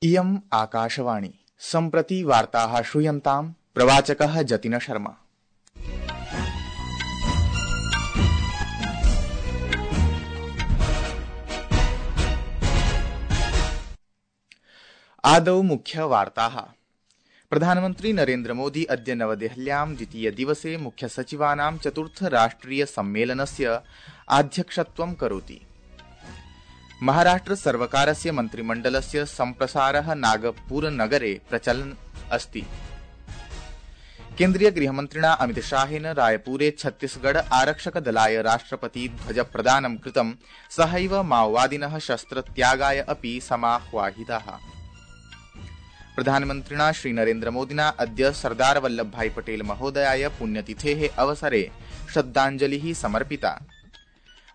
इयम् आकाशवाणी सम्प्रति वार्ताः श्रूयन्ताम् प्रवाचकः जतिन शर्मा। आदौ मुख्यवार्ताः। प्रधानमन्त्री नरेन्द्र मोदी अद्य नवदेहल्यां द्वितीय दिवसे मुख्यसचिवानां चतुर्थ राष्ट्रिय सम्मेलनस्य अध्यक्षत्वं करोति। महाराष्ट्र सर्वकारस्य मन्त्रिमण्डलस्य सम्प्रसारः नागपुरनगरे प्रचलन् अस्ति। केन्द्रीय गृहमन्त्रिणा अमितशाहेन रायपुरे छत्तीसगढ़ आरक्षकदलाय राष्ट्रपति ध्वजप्रदानं कृतं। सहैव माओवादिनः शस्त्रत्यागाय अपि समाह्वाहिताः। प्रधानमन्त्रिणा श्रीनरेन्द्रमोदिना अद्य सरदार वल्लभभाई पटेल महोदयाय पुण्यतिथेः अवसरे श्रद्धाञ्जलिः समर्पिता।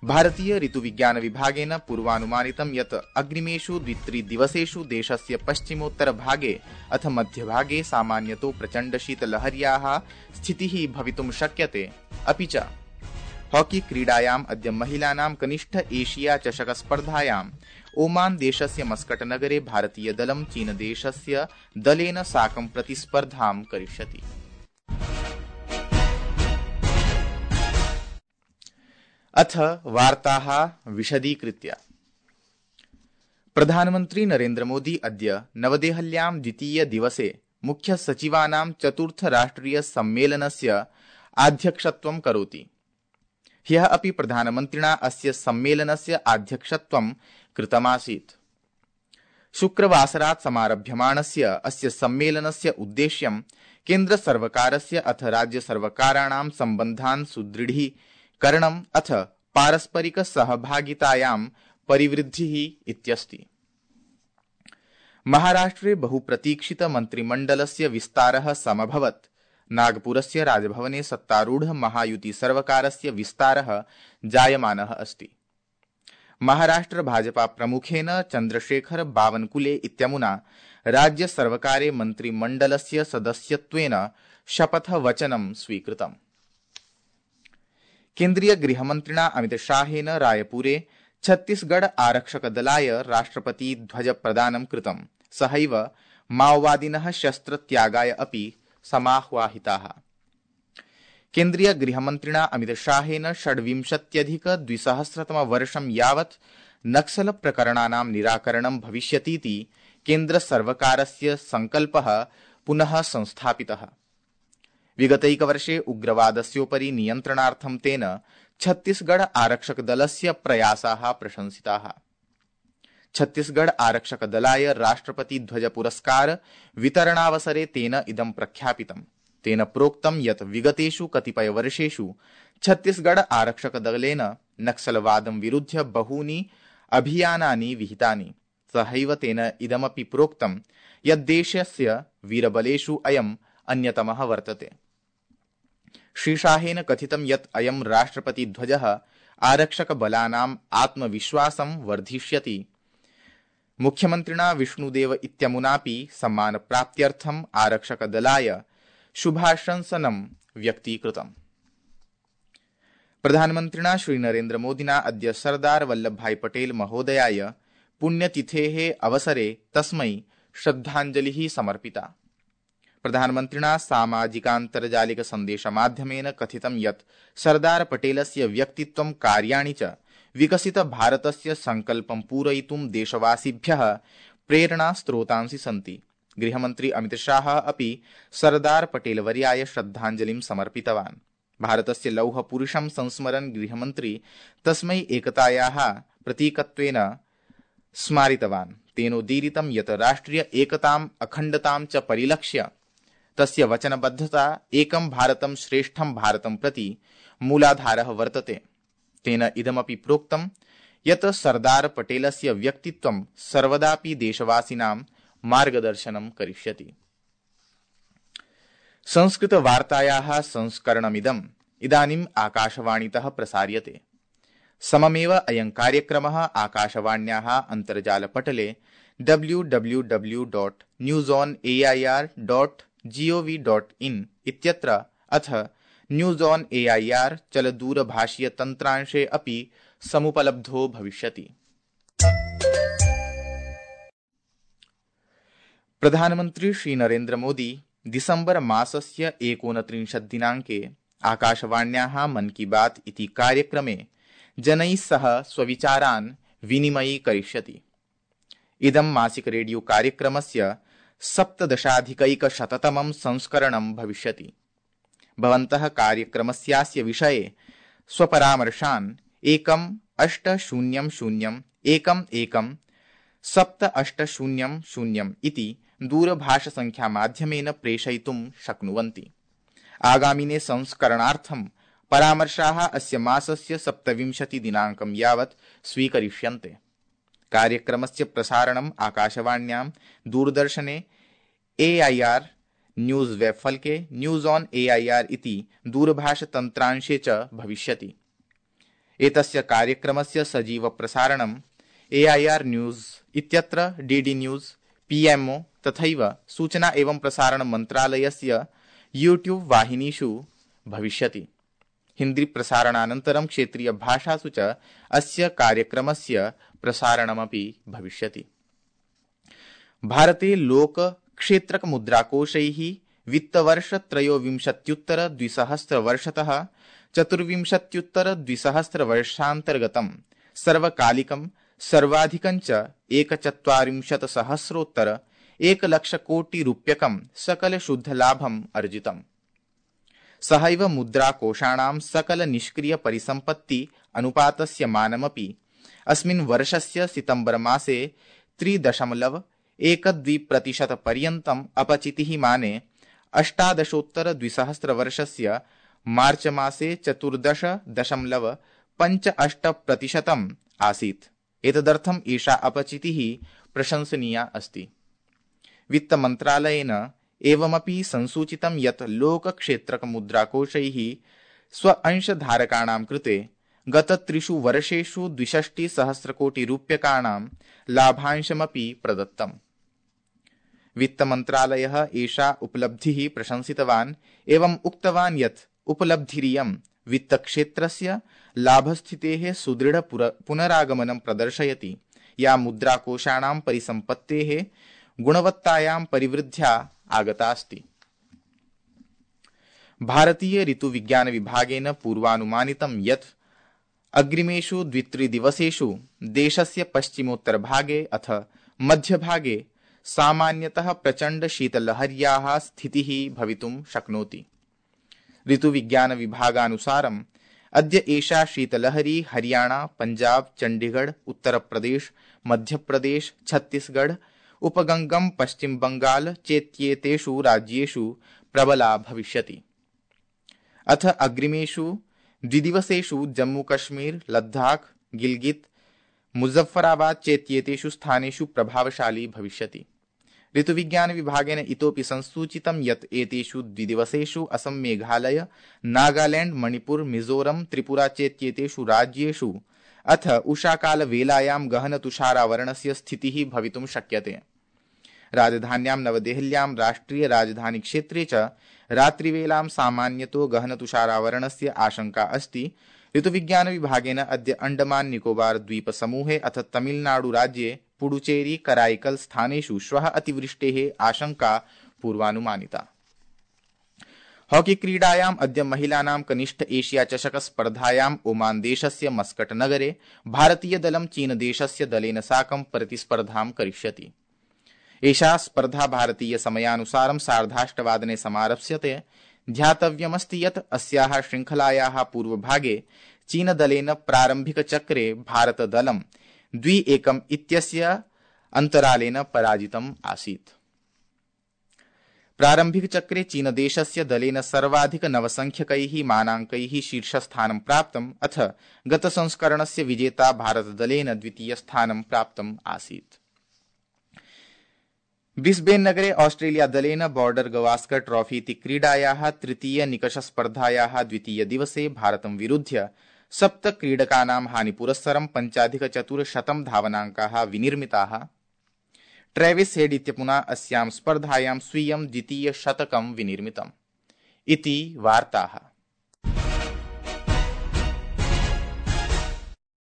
भारतीय ऋतुविज्ञान विभागेन पूर्वानुमानितं यत् अग्रिमेषु 2-3 दिवसेषु देशस्य पश्चिमोत्तरभागे अथ मध्यभागे सामान्यतो प्रचण्डशीतलहर्याः स्थितिः भवितुं शक्यते। अपि च हॉकी क्रीडायाम् अद्य महिलानां कनिष्ठ एशिया चषक स्पर्धायाम् ओमान देशस्य मस्कट नगरे भारतीयदलं चीनदेशस्य दलेन साकं प्रतिस्पर्धां करिष्यति। अथ वार्ताः विशदीकृत्य। प्रधानमन्त्री नरेन्द्र मोदी अद्य नवदेहल्यां द्वितीय दिवसे मुख्यसचिवानां चतुर्थ राष्ट्रिय सम्मेलनस्य अध्यक्षत्वं करोति। ह्यः अपि प्रधानमन्त्रिणा अस्य सम्मेलनस्य अध्यक्षत्वं कृतमासीत्। शुक्रवासरात् समारभ्यमाणस्य अस्य सम्मेलनस्य उद्देश्यं केन्द्रसर्वकारस्य अथ राज्यसर्वकाराणां सम्बन्धान् सुदृढीकरणम् अथ पारस्परिक सहभागितायां परिवृद्धिः इत्यस्ति। महाराष्ट्रे बहुप्रतीक्षित मन्त्रिमण्डलस्य विस्तारः समभवत्। नागपुरस्य राजभवने सत्तारूढ महायुति सर्वकारस्य विस्तारः जायमानः अस्ति। महाराष्ट्र भाजपा प्रमुखेन चन्द्रशेखर बावनकुले इत्यमुना राज्यसर्वकारे मन्त्रिमण्डलस्य सदस्यत्वेन शपथवचनं स्वीकृतम्। केन्द्रीय गृहमन्त्रिणा अमितशाहेन रायपुरे छत्तीसगढ़ आरक्षकदलाय राष्ट्रपति ध्वजप्रदानं कृतं। सहैव माओवादिनः शस्त्रत्यागाय अपि समाह्वाहिताः। केन्द्रीय गृहमन्त्रिणा अमितशाहेन 26-2000 यावत् नक्सल प्रकरणानां निराकरणं भविष्यतीति केन्द्रसर्वकारस्य संकल्पः पुनः संस्थापितः। विगतैकवर्षे उग्रवादस्योपरि नियन्त्रणार्थं तेन छत्तीसगढ़ आरक्षकदलस्य प्रयासाः प्रशंसिताः। छत्तीसगढ़ आरक्षकदलाय राष्ट्रपति ध्वज पुरस्कार वितरणावसरे तेन इदं प्रख्यापितम्। तेन प्रोक्तं यत् विगतेषु कतिपयवर्षेषु छत्तीसगढ़ आरक्षकदलेन नक्सलवादं विरुध्य बहूनि अभियानानि विहितानि। सहैव तेन इदमपि प्रोक्तं यत् देशस्य वीरबलेषु अयम् अन्यतमः वर्तते। श्रीशाहेन कथितं यत् अयं राष्ट्रपतिध्वजः आरक्षकबलानाम् आत्मविश्वासं वर्धिष्यति। मुख्यमन्त्रिणा विष्णुदेव इत्यमुनापि सम्मानप्राप्त्यर्थम् आरक्षकदलाय शुभाशंसनं व्यक्तीकृतम्। प्रधानमन्त्रिणा श्रीनरेन्द्रमोदिना अद्य सरदार वल्लभभाई पटेल महोदयाय पुण्यतिथेः अवसरे तस्मै श्रद्धाञ्जलिः समर्पिता। प्रधानमन्त्रिणा सामाजिकान्तर्जालिक सन्देशमाध्यमेन कथितं यत् सरदार पटेलस्य व्यक्तित्वं कार्याणि च विकसित भारतस्य संकल्पं पूरयितुं देशवासिभ्यः प्रेरणास्रोतांसि सन्ति। गृहमन्त्री अमितशाह अपि सरदार पटेलवर्याय श्रद्धाञ्जलिं समर्पितवान्। भारतस्य लौहपुरुषं संस्मरन् गृहमन्त्री तस्मै एकतायाः प्रतीकत्वेन स्मारितवान्। तेनोदीरितं यत् राष्ट्रिय एकताम् अखण्डतां च परिलक्ष्य तस्य वचनबद्धता एकं भारतं श्रेष्ठं भारतं प्रति मूलाधारः वर्तते। तेन इदमपि प्रोक्तं यत् सरदार पटेलस्य व्यक्तित्वं सर्वदापि देशवासिनां मार्गदर्शनं करिष्यति। संस्कृतवार्तायाः संस्करणमिदम् इदानीम् आकाशवाणीतः प्रसार्यते। सममेव अयं कार्यक्रमः आकाशवाण्याः अन्तर्जालपटले www.newsonair.gov.in इत्यत्र अथ न्यूज़ ऑन एआईआर चलदूरभाषीय तन्त्रांशे अपि समुपलब्धो भविष्यति। प्रधानमन्त्री श्री नरेन्द्र मोदी दिसम्बर मासस्य 29 दिनाङ्के आकाशवाण्याः मन की बात इति कार्यक्रमे जनैः सह स्वविचारान् विनिमयीकरिष्यति। इदं मासिक रेडियो कार्यक्रमस्य 17,100तमं संस्करणं भविष्यति। भवन्तः कार्यक्रमस्यास्य विषये स्वपरामर्शान् 1-800-11-78000 इति दूरभाषसङ्ख्यामाध्यमेन प्रेषयितुं शक्नुवन्ति। आगामिने संस्करणार्थं परामर्शाः अस्य मासस्य 27 दिनाङ्कं यावत् स्वीकरिष्यन्ते। कार्यक्रमस्य प्रसारणम् आकाशवाण्यां, दूरदर्शने, AIR न्यूज़ वेबफलके, न्यूज़ ऑन AIR इति दूरभाषतन्त्रांशे च भविष्यति। एतस्य कार्यक्रमस्य सजीव प्रसारणं AIR न्यूज़ इत्यत्र DD न्यूज़, PMO तथैव सूचना एवं प्रसारण मन्त्रालयस्य YouTube वाहिनीषु भविष्यति। हिन्दी प्रसारणानन्तरं क्षेत्रीय भाषासु च अस्य कार्यक्रमस्य प्रसारणमपि भविष्यति। भारते लोक क्षेत्रक मुद्राकोषैः वित्तवर्ष-23-2000 24-2000 सर्वकालिकं सर्वाधिकं च 1,40,000 कोटि रूप्यकं सकल शुद्ध लाभम् अर्जितम्। सहैव मुद्राकोषाणां सकल निष्क्रिय परिसम्पत्ति अनुपातस्य मानमपि अस्मिन् वर्षस्य सितम्बर मासे 3.12% पर्यन्तम् अपचितिः माने 18-2000 मार्च मासे 14.58% आसीत्। एतदर्थम् एषा अपचितिः प्रशंसनीया अस्ति। वित्तमन्त्रालयेन एवमपि संसूचितं यत् लोकक्षेत्रक मुद्राकोषैः स्व अंशधारकाणां कृते गत 3 वर्षेषु 62,000 कोटि रूप्यकाणां लाभांशमपि प्रदत्तम्। वित्तमन्त्रालयः एषा उपलब्धिः प्रशंसितवान् एवम् उक्तवान् यत् उपलब्धिरियं वित्तक्षेत्रस्य लाभस्थितेः सुदृढ पुनरागमनं प्रदर्शयति, या मुद्राकोषाणां परिसम्पत्तेः गुणवत्तायां परिवृद्ध्या आगता अस्ति। भारतीय ऋतुविज्ञान विभागेन पूर्वानुमानितं यत् अग्रिमेषु 2-3 दिवसेषु देशस्य पश्चिमोत्तरभागे अथ मध्यभागे सामान्यतः प्रचण्ड शीतलहर्याः स्थितिः भवितुं शक्नोति। ऋतुविज्ञान विभागानुसारम् अद्य एषा शीतलहरी हरियाणा, पंजाब, चंडीगढ़, उत्तर प्रदेश, मध्य प्रदेश, छत्तीसगढ़, उपगंगम पश्चिम बंगाल चेत्येतेषु राज्येषु प्रबला भविष्यति। अथ अग्रिमेषु 2 दिवसेषु जम्मू कश्मीर, लद्दाख, गिलगित, मुजफ्फराबाद चेत्येतेषु स्थानेषु प्रभावशाली भविष्यति। ऋतुविज्ञान विभागेन इतोपि संसूचितं यत् एतेषु 2 दिवसेषु असम, मेघालय, नागालैंड, मणिपुर, मिजोरम, त्रिपुरा चेत्येतेषु राज्येषु अथ उषाकालवेलायां गहन तुषारावरणस्य स्थितिः भवितुं शक्यते। राजधान्यां नवदेहल्यां राष्ट्रिय राजधानी क्षेत्रे च रात्रिवेलां सामान्यतो गहन तुषारावरणस्य आशंका अस्ति। ऋतुविज्ञान विभागेन अद्य अंडमान निकोबार द्वीप समूहे अथ तमिलनाडु राज्ये पुडुचेरी, कराईकल स्थानेषु श्वः अतिवृष्टेः आशंका पूर्वानुमानिता। हॉकी क्रीडायाम् अद्य महिलानां कनिष्ठ एशिया चषक स्पर्धायाम् ओमान देशस्य मस्कट नगरे भारतीय दलं चीन देशस्य दलेन साकं प्रतिस्पर्धां करिष्यति। एषा स्पर्धा भारतीय समयानुसारं 8:30 समारप्स्यते। ध्यातव्यमस्ति यत् अस्याः श्रृङ्खलायाः पूर्वभागे चीनदलेन प्रारम्भिकचक्रे भारतदलं 2-1 इत्यस्य अन्तरालेन पराजितम् आसीत्। प्रारम्भिकचक्रे चीनदेशस्य दलेन सर्वाधिक 9 संख्यकैः मानाङ्कैः शीर्षस्थानं प्राप्तम्, अथ गतसंस्करणस्य विजेता भारतदलेन द्वितीयस्थानं प्राप्तम् आसीत्। ब्रिस्बेन नगरे ऑस्ट्रेलिया दलेन बॉर्डर गवास्कर ट्रॉफी इति क्रीडायाः तृतीय निकषस्पर्धायाः द्वितीय दिवसे भारतं विरुध्य 7 क्रीडकानां हानिपुरस्सरं 5,400 धावनाङ्काः विनिर्मिताः। ट्रेविस हेड इत्यमुना अस्यां स्पर्धायां स्वीयं द्वितीय शतकं विनिर्मितम्। इति वार्ताः।